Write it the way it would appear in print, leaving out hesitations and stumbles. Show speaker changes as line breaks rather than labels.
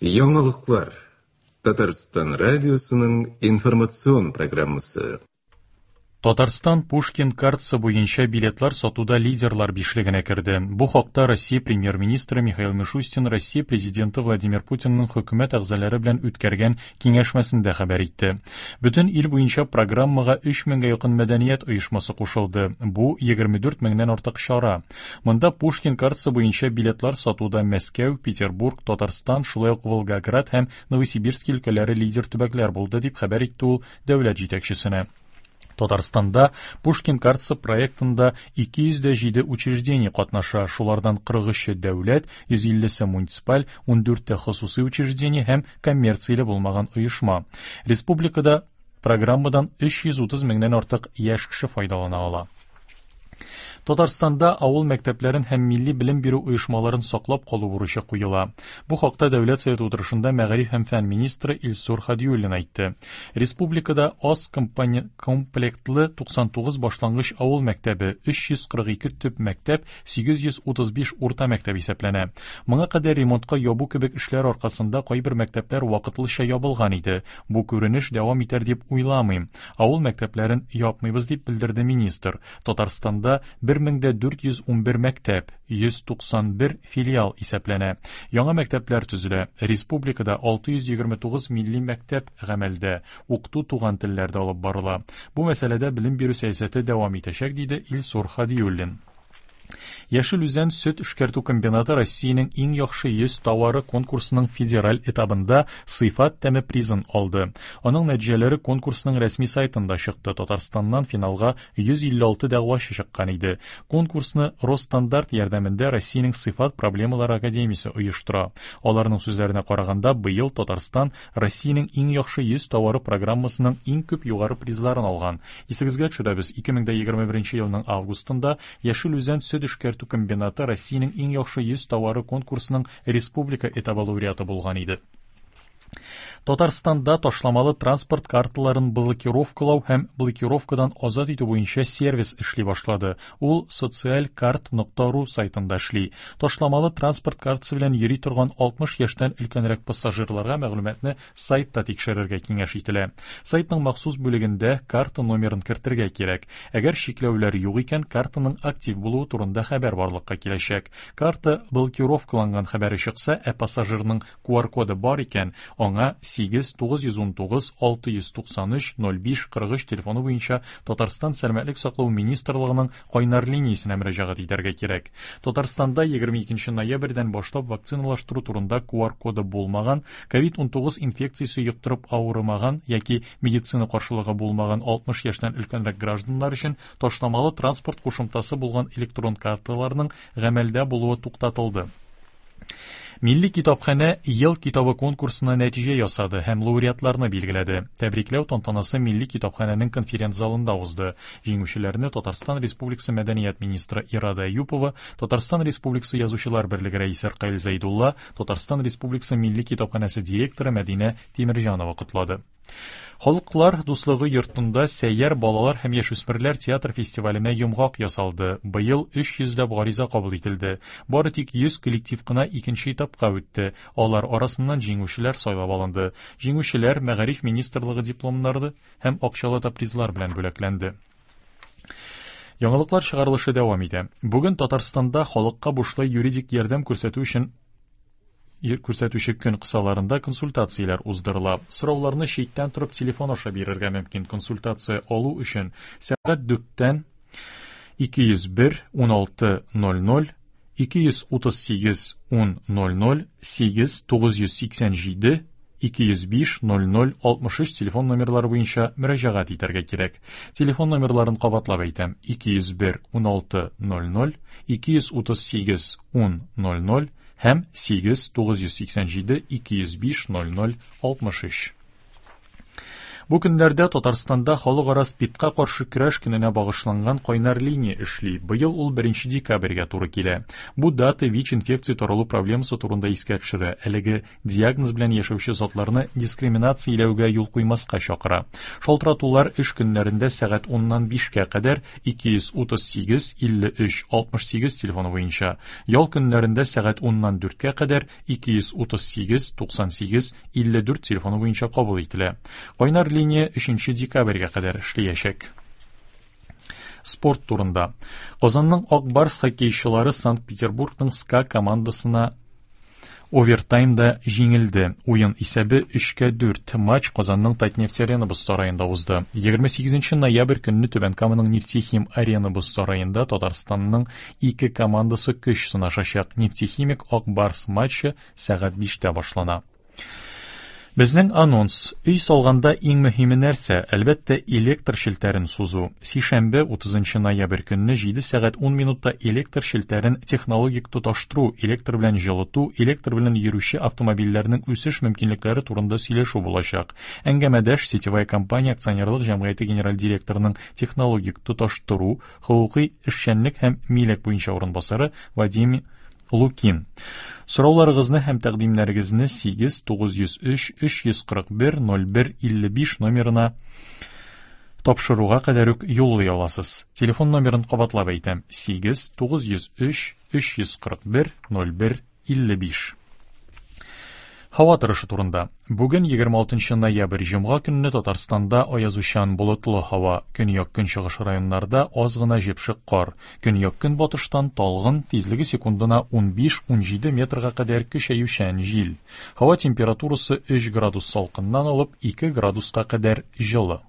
Яңалыклар. Татарстан радиосының информацион программасы.
Татарстан Пушкин картасы буенча билетлар сатуда лидерлар бишлегенә керде. Бу хакта Россия премьер-министры Михаил Мишустин Россия президенты Владимир Путинның хөкүмәт әгъзалары белән үткәргән киңәшмәсендә хәбәр итте. Бөтен ил буенча программага 3 меңгә якын мәдәният оешмасы кушылды. Бу 24 меңнән артык чара. Монда Пушкин картасы буенча билетлар сатуда Мәскәү, Петербург, Татарстан, шулай ук Волгоград һәм Новосибирск өлкәләре лидер төбәкләр булды, дип хәбәр итте ул дәүләт җитәкчесенә. Татарстанда Пушкин картасы проектында 207 учреждение катнаша, шулардан 43-е дәүләт, 150-се муниципаль, 14-те хосусый учреждение һәм коммерцияле булмаган оешма. Республикада программадан 330 меңнән артык яшь кеше файдалана ала. Татарстанда авыл мәктәпләрен һәм милли белем бирү оешмаларын саклап калу бурычы куела. Бу хакта Дәүләт Советы утырышында мәгариф һәм фән министры Илсур Хадиуллин әйтте. Республикада аз комплектлы 99 башлангыч авыл мәктәбе, 342 төп мәктәп, 835 урта мәктәп исәпләнә. Моңа кадәр ремонтка ябу кебек эшләр аркасында кайбер мәктәпләр вакытлыча ябылган иде. Бу күренеш дәвам итәр дип уйламыйм. Авыл мәктәпләрен япмыйбыз, дип белдерде министр. Татарстанда 1411 мәктәп, 191 филиал исәпләнә. Яңа мәктәпләр төзелә. Республикада 629 милли мәктәп гамәлдә. Укыту туган телләрдә алып барыла. Бу мәсьәләдә белем бирү сәясәте дәвам итәчәк, диде Илсур Хадиуллин. Яшел Үзән сөт эшкәртү комбинаты Россиянең иң яхшы 100 товары конкурсының федераль этабында сыйфат тәме призын алды. Аның нәтиҗәләре конкурсның рәсми сайтында чыкты. Татарстаннан финалга 156 дәгъвачы чыккан иде. Конкурсны Росстандарт ярдәмендә Россиянең сыйфат проблемалары академиясе оештыра. Аларның сүзләренә караганда, быел Татарстан Россиянең иң яхшы 100 товары программасының иң күп югары призларын алган. Исегезгә төшерәбез, 2021 елның августында Яшел Үзән сөт эшкәртү комбинаты Россиянең иң яхшы 100 товары конкурсының республика этабы лауреаты булган иде. Татарстанда ташламалы транспорт карталарын блокировкалау һәм блокировкадан азат итү буенча сервис эшли башлады. Ул социалькарт.ру сайтында эшли. Ташламалы транспорт картасы белән йөри торган 60 яшьтән өлкәнрәк пассажирларга мәгълүматны сайтта тикшерергә киңәш ителә. Сайтның махсус бүлегендә карта номерын кертергә кирәк. Әгәр чикләүләр юк икән, картаның актив булуы турында хәбәр барлыкка киләчәк. Карта блокировкаланган хәбәре чыкса, ә пассажирның QR-коды бар икән, аңа 8 919 693 05 43 телефоны буенча Татарстан Сәламәтлек саклау министрлыгының кайнар линиясенә мөрәҗәгать итәргә кирәк. Татарстанда 22 ноябрьдән башлап вакциналаштыру турында QR-коды булмаган, COVID-19 инфекциясе йоктырып авырымаган яки медицина каршылыгы булмаган 60 яшьтән өлкәнрәк гражданнар өчен ташламалы транспорт кушымтасы булган электрон карталарның гамәлдә булуы туктатылды. Милли китапханә Ел китабы конкурсына нәтиҗә ясады һәм лауреатларны билгеләде. Тәбрикләү тантанасы Милли китапханәнең конференц-залында узды. Җиңүчеләрне Татарстан Республикасы мәдәният министры Ирада Әюпова, Татарстан Республикасы Язучылар берлеге рәисе Ркаил Зәйдулла, Татарстан Республикасы Милли китапханәсе директоры Мәдинә Тимерҗанова котлады. Халыклар дуслыгы йортында Сәйяр балалар һәм яшүсмерләр театр фестиваленә йомгак ясалды. Быел 300 ләп гариза кабул ителде. Бары тик 100 коллектив кына икенче этапка үтте. Алар арасыннан җиңүчеләр сайлап алынды. Җиңүчеләр Мәгариф министрлыгы дипломнары һәм акчалата призлар белән бүләкләнде. Яңалыклар чыгарылышы дәвам итә. Бүген Татарстанда халыкка бушлай юридик ярдәм күрсәтү өчен күрсәтүче көн кысаларында консультацияләр уздырыла. Сорауларны читтән торып телефон аша бирергә мөмкин. Консультация алу өчен сәгать 4-тән 201 16 00 238 10 00 8 987 205 00 63 телефон номерлары буенча мөрәҗәгать итәргә кирәк. Телефон номерларын кабатлап әйтәм: 201 16 00 238 10 00 һәм 8 987 205 00 63. Бу көннәрдә Татарстанда халыкара СПИДка каршы көрәш көненә багышланган кайнар линия эшли. Быел ул 1 декабрьгә туры килә. Бу дата ВИЧ-инфекция таралу проблемасы турында искә төшерә. Әлеге диагноз белән яшәүче затларны дискриминацияләүгә юл куймаска чакыра. Шалтыратулар эш көннәрендә сәгать 10-нан 5-кә кадәр 238 53 68 телефоны буенча, ял көннәрендә сәгать 10-нан 4-кә кадәр 238 98 54 телефоны буенча кабул ителә. Кайнар линия 3 декабрьгә кадәр эшләячәк. Спорт турында. Казанның Ак Барс хоккейчылары Санкт-Петербургның СКА командасына овертаймда җиңелде. Уен исәбе 3-4. Матч Казанның Татнефть Арена боз сараенда узды. 28 ноябрь көнне Түбән Каманың Нефтехим Арена боз сараенда Татарстанның ике командасы көч сынашачак. Нефтехимик Ак Барс матчы сәгать 5-тә башлана. Безнең анонс. Өй салганда иң мөһиме нәрсә? Әлбәттә, электр челтәрен сузу. Сишәмбе, 30 ноябрь көнне 7 сәгать 10 минутта электр челтәрен технологик тоташтыру, электр белән җылыту, электр белән йөрүче автомобильләрнең үсеш мөмкинлекләре турында сөйләшү булачак. Әңгәмәдәш Сетевая компания акционерлык җәмгыяте генераль директорының технологик тоташтыру, хокукый эшчәнлек һәм милек буенча урынбасары Вадим Лукин. Сорауларыгызны һәм тәкъдимнәрегезне 8 903 341 01 55 номерына тапшыруга кадәр үк юллый аласыз. Телефон номерын кабатлап әйтәм: 8 903 341 01 55. Һава торышы турында. Бүген 26 ноябрь җомга көнне Татарстанда аязучан болытлы һава. Көньяк-көнчыгыш районнарда аз гына җепшек кар. Көньяк-көнбатыштан талгын, тизлеге секундына 15-17 метрга кадәр көчәючән җил. Һава температурасы 3 градус салкыннан алып 2 градуска кадәр җылы.